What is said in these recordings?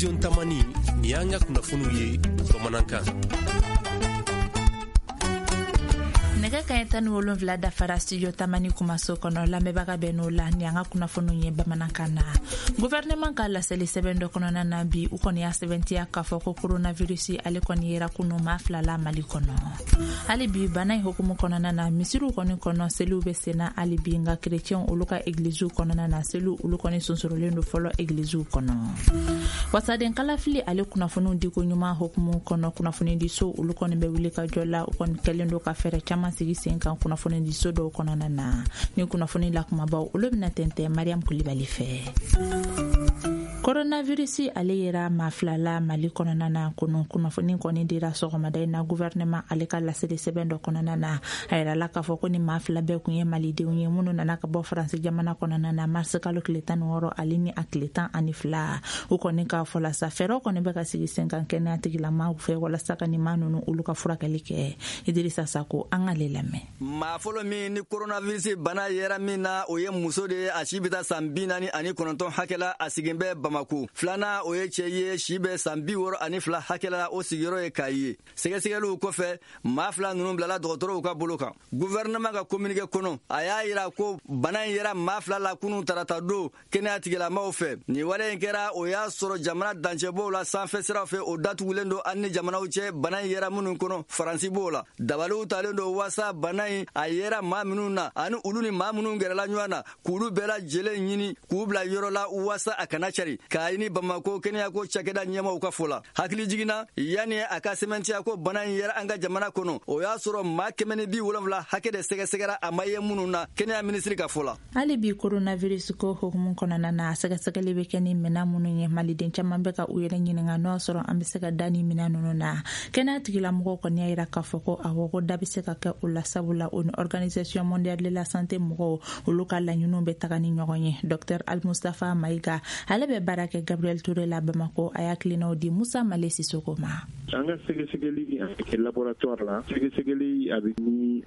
Studio Tamani, nin y'an ka kunnafoniw ye bamanankan. Nɛgɛ kaɲɛ 17 dafara Studio Tamani kumaso kɔnɔ. Lamɛnbaga bɛ n'o la, ni an ka kunnafoniw ye bamanankan na. Gouvernement ka laseli sɛbɛn dɔ kɔnɔna na bi, u kɔni y'a sɛbɛntiya k'a fɔ ko coronavirus ale kɔni yera kunu maa 2 la Mali kɔnɔ. Hali bi bana in hukumu kɔnɔna na, misiriw kɔni kɔnɔ seliw bɛ senna hali bi, nka kerecɛnw olu ka egiliziw kɔnɔna na, seliw olu kɔni sonsorolen don fɔlɔ egiliziw kɔnɔ. Wasaden kalafili ale kunnafoniw diko ɲuman hukumu kɔnɔ, kunnafonidiso olu kɔni bɛ wuli ka jɔ la. U kɔni kɛlen don ka fɛɛrɛ caman sigi sen kan kunnafonidiso dɔw kɔnɔna na. Ni kunnafoni la kumabaw olu bɛna tɛntɛn Mariam Kulibali fɛ. Coronavirus ale yera maa 2 la Mali kɔnɔna na kunu. Kunnafoni kɔni dira sɔgɔmada in na gouvernement ale ka laseli sɛbɛn dɔ kɔnɔna na. A yirala k'a fɔ ko ni maa 2 bɛɛ kun ye malidenw ye minnu nana ka bɔ Faransi jamana kɔnɔna na mars kalo tile 16 ale ni a tile 12. U kɔni k'a fɔ la sa, fɛɛrɛw kɔni bɛ ka sigi sen kan kɛnɛya tigilamaw fɛ walasa ka nin maa ninnu olu ka furakɛli kɛ. Idrissa Sako, an k'ale lamɛn. Maa fɔlɔ min ni coronavirus bana yera min na, o ye muso de ye, a si bɛ taa san 49 hakɛ la, a sigin bɛ Bamako. Filanan, o ye cɛ ye, si bɛ san 62 hakɛ la, o sigiyɔrɔ ye Kayi ye. Sɛgɛsɛgɛliw kɔfɛ, maa 2 ninnu bilala dɔgɔtɔrɔw ka bolo kan. Gouvernement ka communiqué kɔnɔ, a y'a yira ko bana in yera maa 2 la kunun tarata don kɛnɛya tigilamaw fɛ. Nin wale in kɛra, o y'a sɔrɔ jamana dancɛbɔw la sanfɛ siraw fɛ, o datugulen don an ni jamanaw cɛ bana in yera minnu kɔnɔ, Faransi b'o la. Dabaliw talen don waasa bana in a yera maa minnu na ani olu ni maa minnu gɛrɛla ɲɔgɔn na, k'olu bɛɛ lajɛlen ɲini k'u bila yɔrɔ la waasa a kana cari, k'a ɲini Bamako kɛnɛyako cakɛda ɲɛmaw ka fɔ la. Hakili jiginna, yanni a ka sɛmɛntiya ko bana in yera an ka jamana kɔnɔ, o y'a sɔrɔ maa 170 hakɛ de sɛgɛsɛgɛra, a ma ye minnu na, kɛnɛya minisiri ka fɔ la. Hali bi coronavirus ko hukumu kɔnɔna na, sɛgɛsɛgɛli bɛ kɛ ni minɛn minnu ye, maliden caman bɛ ka u yɛrɛ ɲininka n'o y'a sɔrɔ an bɛ se ka da ni minɛn ninnu na. Kɛnɛya tigilamɔgɔw kɔni y'a yira k'a fɔ ko awɔ, ko da bɛ se ka kɛ o la, sabula o ni Organisation mondiale de la santé mɔgɔw olu ka laɲiniw bɛ taga ni ɲɔgɔn ye. Docteur Al Mustafa Mayiga, ale bɛ baara kɛ Gabriel Touré la Bamako, a y'a hakilinaw di Musa Male Sisoko ma. An ka sɛgɛsɛgɛli a bɛ kɛ laboratoire la. Sɛgɛsɛgɛli a bɛ ni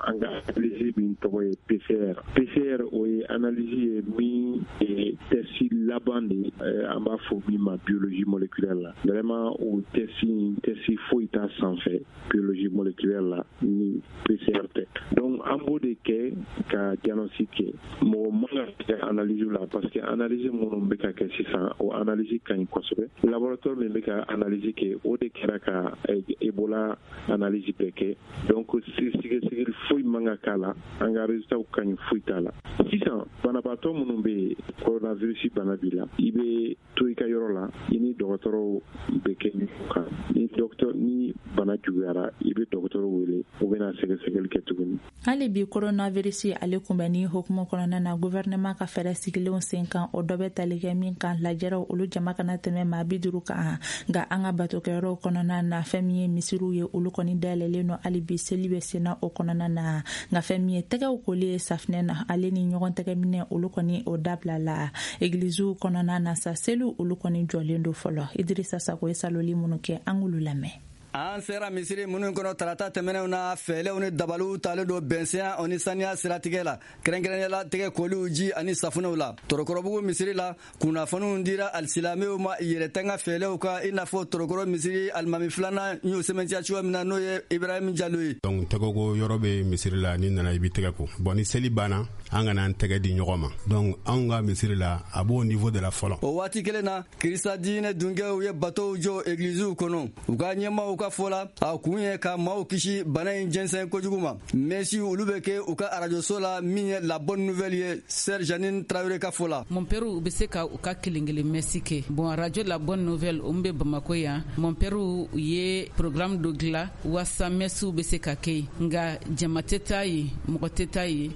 an ka analyse min tɔgɔ ye PCR. PCR, o ye analyse ye min ye test laban de ye, an b'a fɔ min ma biologie moléculaire la. Vraiment, o test in, test foyi t'a sanfɛ biologie moléculaire la ni PCR tɛ. Donc an b'o de kɛ ka diagnostic kɛ. Mɔgɔ man ka kɛ analyse la, parce que analyse minnu bɛ ka kɛ sisan, o analyse ka ɲi kosɛbɛ. Laboratoire min bɛ ka analyse kɛ, o de kɛra ka Ebola analyse bɛɛ kɛ. Donc sɛgɛsɛgɛli foyi man ka k'a la, an ka résultat ka ɲi, foyi t'a la. Sisan banabaatɔ minnu bɛ yen, coronavirus bana b'i la, i bɛ to i ka yɔrɔ la, i ni dɔgɔtɔrɔw bɛ kɛ ɲɔgɔn kan. Ni docteur ni bana juguyara, i bɛ dɔgɔtɔrɔ wele, u bɛna sɛgɛsɛgɛli kɛ tuguni. Hali bi coronavirus ale kunbɛnni hukumu kɔnɔna na, gouvernement ka fɛɛrɛ sigilenw sen kan, o dɔ bɛ tali kɛ min kan, lajɛrɛw olu jama kana tɛmɛ maa 50 kan. Nka an ka batokɛyɔrɔw kɔnɔna na, fɛn min ye misiriw ye, olu kɔni dayɛlɛlen don hali bi, seli bɛ senna o kɔnɔna na. Nka fɛn min ye tɛgɛw koli ye safinɛ na, ale ni ɲɔgɔn tɛgɛ minɛ, olu kɔni o dabila la. Egiliziw kɔnɔna na sa, seliw olu kɔni jɔlen don fɔlɔ. Idrissa Sako ye saloli minnu kɛ, an k'olu lamɛn. An sera misiri minnu kɔnɔ tarata tɛmɛnenw na, fɛɛlɛw ni dabaliw talen don bɛnsenya o ni saniya siratigɛ la, kɛrɛnkɛrɛnnenya la tɛgɛ koliw ji ani safunɛw la. Torokɔrɔbugu misiri la, kunnafoniw dira alisilamɛw ma yɛrɛtanga fɛɛlɛw kan, i n'a fɔ Torokɔrɔ misiri alimami filanan y'o sɛmɛntiya cogoya min na, n'o ye Ibrahim Jalo ye. Donc tɛgɛko yɔrɔ bɛ misiri la, n'i nana i b'i tɛgɛ ko. Bon, ni seli banna, an kana an tɛgɛ di ɲɔgɔn ma. Donc anw ka misiri la, a b'o niveau de la fɔlɔ. O waati kelen na, Kirista diinɛ dunkew ye batow jɔ egiliziw kɔnɔ. U ka ɲɛmaaw ka fɔ la, a kun ye ka maaw kisi bana in jɛnsɛn kojugu ma. Mɛsi olu bɛ kɛ u ka arajoso la min ye La Bonne Nouvelle ye, Sœur Janine Traoré ka fɔ la. Mon père u bɛ se ka u ka kelen kelen mɛsi kɛ. Bon, radio La Bonne Nouvelle, o min bɛ Bamako yan, mon père u ye programme dɔ dilan waasa mɛsiw bɛ se ka kɛ yen, nka jama tɛ taa yen, mɔgɔ tɛ taa yen.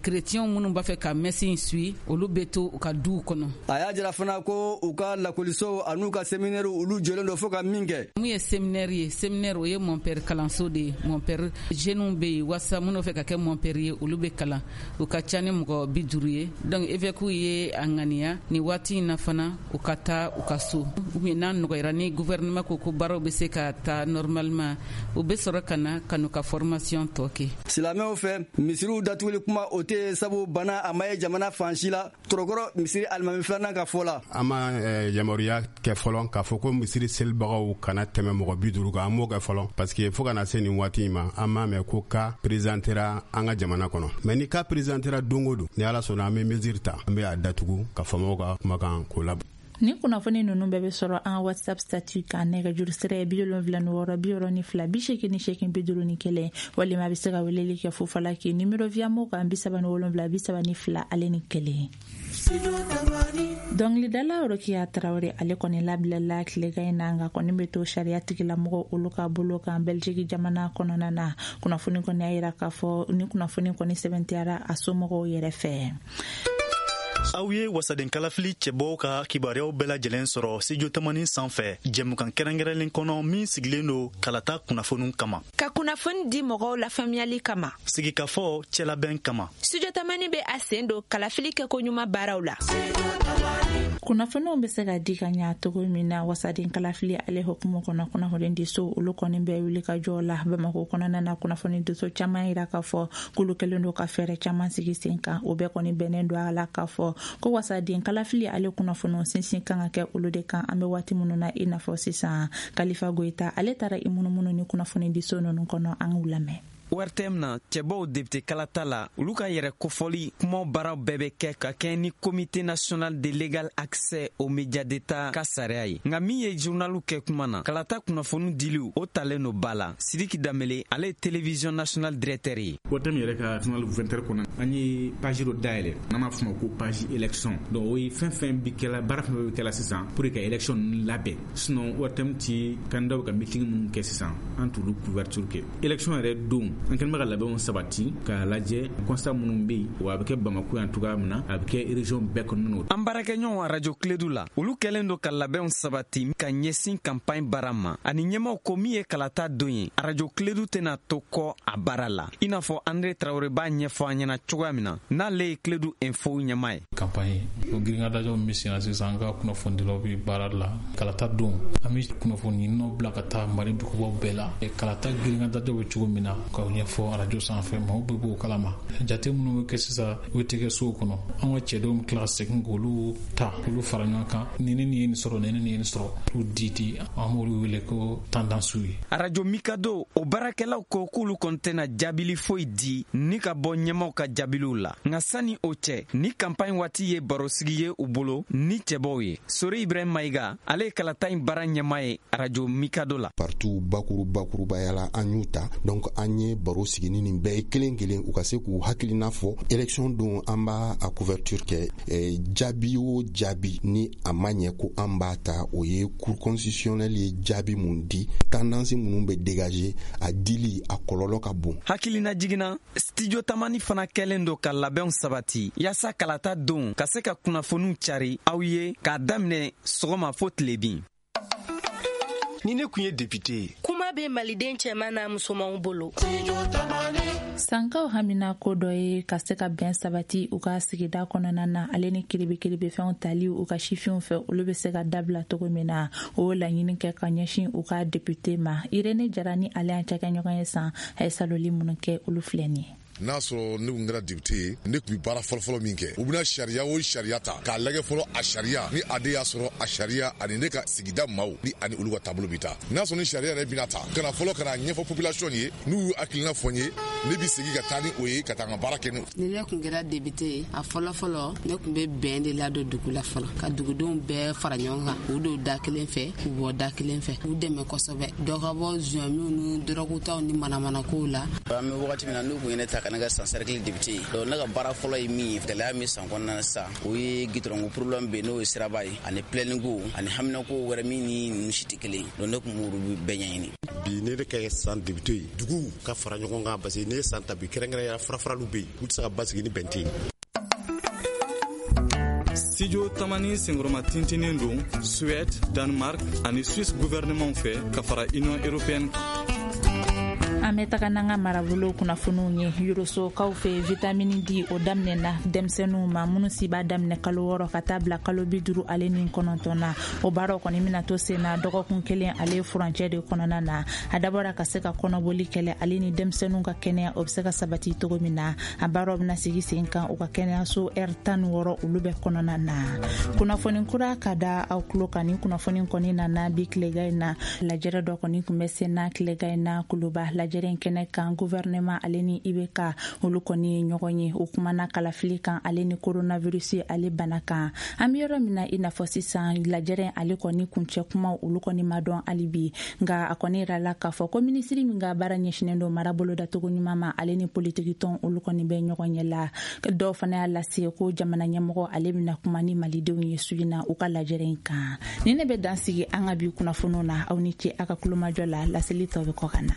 Chrétiens minnu b'a fɛ ka mɛsi in suit, olu bɛ to u ka duw kɔnɔ. A y'a jira fana ko u ka lakɔlisow an'u ka séminaire olu jɔlen don fo ka min kɛ. Mun ye séminaire ye? Séminaire, o ye mɔnpɛri kalanso de ye. Mɔnpɛri jeunes bɛ yen wasa minnu fɛ ka kɛ mɔnpɛri ye, olu bɛ kalan. U ka ca ni mɔgɔ 50 ye. Donc évêque ye a ŋaniya nin waati in na fana u ka taa u ka so, ou bien n'a nɔgɔyara ni gouvernement ko ko baaraw bɛ se ka taa normalement, u bɛ sɔrɔ ka na ka n'u ka formation tɔ kɛ. Silamɛw fɛ, misiriw datuguli kuma o tɛ, sabu bana a ma ye jamana fan si la. Tɔrɔkɔrɔ misiri alimami filanan ka fɔ la: An ma yamaruya kɛ fɔlɔ k'a fɔ ko misiri selibagaw kana tɛmɛ mɔgɔ 50 kan. An m'o kɛ fɔlɔ, parce que fo ka na se nin waati in ma, an m'a mɛn ko cas présentera an ka jamana kɔnɔ. Mais ni cas présentera don o don, ni Ala sɔnna, an bɛ mesure ta, an bɛ a datugu ka faamaw ka kumakan k'o la. Ni kunnafoni ninnu bɛɛ bɛ sɔrɔ an WhatsApp statut kan. Nɛgɛjuru sira ye 76 62 88 51, walima a bɛ se ka weleli kɛ fufala k'i numéro Viamo kan 77 32 ale ni 1. Dɔngilidala Rokiya Tarawele, ale kɔni labilala tilegan in na, nka kɔni bɛ to sariya tigilamɔgɔ olu ka bolo kan Belgique jamana kɔnɔna na. Kunnafoni kɔni y'a yira k'a fɔ ni kunnafoni kɔni sɛbɛntiyara a somɔgɔw yɛrɛ fɛ. Aw ye wasaden kalafili cɛbɔw ka kibaruyaw bɛɛ lajɛlen sɔrɔ Studio Tamani sanfɛ, jɛmukan kɛrɛnkɛrɛnlen kɔnɔ min sigilen don kalata kunnafoniw kama, ka kunnafoni di mɔgɔw lafaamuyali kama, sigikafɔ cɛlabɛn kama. Studio Tamani bɛ a sen don kalafili kɛko ɲuman baaraw la. Kunnafoniw bɛ se ka di ka ɲa cogo min na wasaden kalafili ale hukumu kɔnɔ, kunnafoni diso olu kɔni bɛ wuli ka jɔ la Bamako kɔnɔna na. Kunnafoni diso caman yira k'a fɔ k'olu kɛlen don ka fɛɛrɛ caman sigi sen kan. O bɛɛ kɔni bɛnnen don a la k'a fɔ ko wasaden kalafili ale kunnafoniw sinsin kan ka kɛ olu de kan an bɛ waati minnu na i n'a fɔ sisan. Kalifa Goyita, ale taara i munumunu ni kunnafoni diso ninnu kɔnɔ. An k'u lamɛn. ORTM na, cɛbɔw député kalata la, olu ka yɛrɛ kofɔli kumaw baaraw bɛɛ bɛ kɛ ka kɛɲɛ ni Comité national de l'égal accès aux médias d'État ka sariya ye. Nka min ye journaliw kɛ kuma na, kalata kunnafoni diliw o talen no ba la. Sidiki Danbele, ale ye télévision nationale directeur ye. ORTM yɛrɛ ka journal 20 heures kɔnɔ, an ye page dɔ dayɛlɛ n'an b'a fɔ ma ko page élection. Donc o ye fɛn fɛn bi kɛla, baara fɛn fɛn bɛ kɛla sisan pour que ka élection ninnu labɛn. Sinon ORTM ti candidat ka meeting minnu kɛ sisan, an t'olu couverture kɛ. Élection yɛrɛ don, an kɛlen bɛ ka labɛnw sabati k'a lajɛ constat minnu bɛ yen, wa a bɛ kɛ Bamako yan cogoya min na, a bɛ kɛ région bɛɛ kɔnɔna na. An baarakɛɲɔgɔn arajo Kiledu la, olu kɛlen don ka labɛnw sabati ka ɲɛsin campagne baara ma, ani ɲɛmaw ko min ye kalata don ye, arajo Kiledu tɛna to kɔ a baara la, i n'a fɔ Andre Tarawele b'a ɲɛfɔ an ɲɛna cogoya min na, n'ale ye Kiledu Info ɲɛma ye. Campagne o girinkadajɔw min bɛ senna sisan, an ka kunnafonidilaw bɛ baara la. Kalata don, an bɛ kunnafoni ɲininaw bila ka taa Mali dugubaw bɛɛ la. Kalata girinkadajɔw bɛ cogo min na, ka ɲɛfɔ arajo sanfɛ, maaw bɛɛ b'o kalama. Jate minnu bɛ kɛ sisan, o tɛ kɛ sow kɔnɔ. An ka cɛdenw bɛ tila ka segin k'olu ta, k'olu fara ɲɔgɔn kan, ni ni ye nin sɔrɔ, ni ni ye nin sɔrɔ, k'u di di. An b'olu wele ko tendance ye. Arajo Mikado, o baarakɛlaw ko k'olu kɔni tɛna jaabili foyi di ni ka bɔ ɲɛmaw ka jaabiliw la. Nka sani o cɛ, ni campagne waati ye barosigi ye u bolo ni cɛbɔw ye. Sori Ibrahim Mayiga, ale ye kalata in baara ɲɛma ye arajo Mikado la. Parti bakuru bakurubaya la, an y'u ta. Donc an ye baro sigi ni nin bɛɛ ye kelen kelen, u ka se k'u hakilina fɔ. Élection don, an b'a a couverture kɛ. Jaabi o jaabi ni a ma ɲɛ ko an b'a ta, o ye Cour constitutionnelle ye jaabi mun di, tendance minnu bɛ dégager, a dili a kɔlɔlɔ ka bon. Hakilina jiginna, Studio Tamani fana kɛlen don ka labɛnw sabati yaasa kalata don ka se ka kunnafoniw cari aw ye k'a daminɛ sɔgɔma fo tilebin. Ni ne kun ye député ye. Kuma bɛ maliden cɛman n'a musomanw bolo. Sankaw hamina ko dɔ ye ka se ka bɛn sabati u ka sigida kɔnɔna na, ale ni kiribikiribifɛnw tali u ka sifinw fɛ, olu bɛ se ka dabila cogo min na. O laɲini kɛ ka ɲɛsin u ka député ma. Irene Jara ni ale y'an cakɛɲɔgɔn ye san, a ye saloli minnu kɛ, olu filɛ nin ye. N'a sɔrɔ ne kun kɛra député ye, ne tun bɛ baara fɔlɔfɔlɔ min kɛ, u bɛna sariya o sariya ta k'a lajɛ fɔlɔ, a sariya ni a de y'a sɔrɔ a sariya ani ne ka sigida maaw ni ani olu ka taabolo bɛ taa. N'a sɔrɔ ni sariya yɛrɛ bɛna ta ka na fɔlɔ, ka na ɲɛfɔ population ye, n'u y'u hakilina fɔ n ye, ne bɛ segin ka taa ni o ye, ka taa n ka baara kɛ ni. Ni ne kun kɛra député ye, a fɔlɔ fɔlɔ, ne kun bɛ bɛn de ladon dugu la fɔlɔ, ka dugudenw bɛɛ fara ɲɔgɔn kan, k'u don da kelen fɛ, k'u bɔ da kelen fɛ, k'u dɛmɛ kosɛbɛ, dɔ ka bɔ zonyamiw ni dɔrɔgutaw ni manamanakow la. An bɛ wagati min na, n'u kun ye ne ta ka ne ka San cercle député ye, donc ne ka baara fɔlɔ ye min ye, gɛlɛya min san kɔnɔna na sisan, o ye gitɔrɔnko problème bɛ yen, n'o ye siraba ye, ani plɛniko ani haminako wɛrɛ min ni ninnu si tɛ kelen. Donc ne kun b'olu bɛɛ ɲɛɲini. Bi ne de ka san député ye, duguw ka fara ɲɔgɔn kan, parce que ne ye san ta bi, kɛrɛnkɛrɛnya farafaraliw bɛ yen, u tɛ se ka basigi ni bɛn tɛ yen. Studio Tamani senkɔrɔma tintinnen don Suède, Danemark ani Suisse gouvernement fɛ ka fara Union européenne kan. An bɛ taga n'an ka marabolo kunnafoniw ye. Yorosokaw fɛ, vitamini D o daminɛna denmisɛnninw ma minnu si b'a daminɛ kalo 6 ka taa bila kalo 59 na. O baaraw kɔni bɛna to sen na dɔgɔkun kelen ale furancɛ de kɔnɔna na. A dabɔra ka se ka kɔnɔboli kɛlɛ ale ni denmisɛnninw ka kɛnɛya o bɛ se ka sabati cogo min na. A baaraw bɛna sigi sen kan u ka kɛnɛyaso R 16 olu bɛɛ kɔnɔna na. Kunnafoni kura ka da aw tulo kan. Ni kunnafoni kɔni nana bi tilega in na, lajɛrɛ dɔ kɔni tun bɛ sen na tilega in na Kuluba. Lajɛrɛ in kɛnɛ kan, gouvernement ale ni IBK olu kɔni ye ɲɔgɔn ye. O kumana kalafili kan ale ni coronavirus ale bana kan. An bɛ yɔrɔ min na i n'a fɔ sisan, lajɛrɛ ale kɔni kuncɛ kumaw olu kɔni ma dɔn hali bi, nka a kɔni yirala k'a fɔ ko minisiri min ka baara ɲɛsinnen don mara bolodacogo ɲuman ma ale ni politiki tɔn olu kɔni bɛ ɲɔgɔn ɲɛ la. Dɔw fana y'a lase ko jamana ɲɛmɔgɔ ale bɛna kuma ni malidenw ye su in na u ka lajɛrɛ in kan. Ni ne bɛ dan sigi an ka bi kunnafoniw na. Aw ni ce a ka kulomajɔ la. Laseli tɔ bɛ kɔ ka na.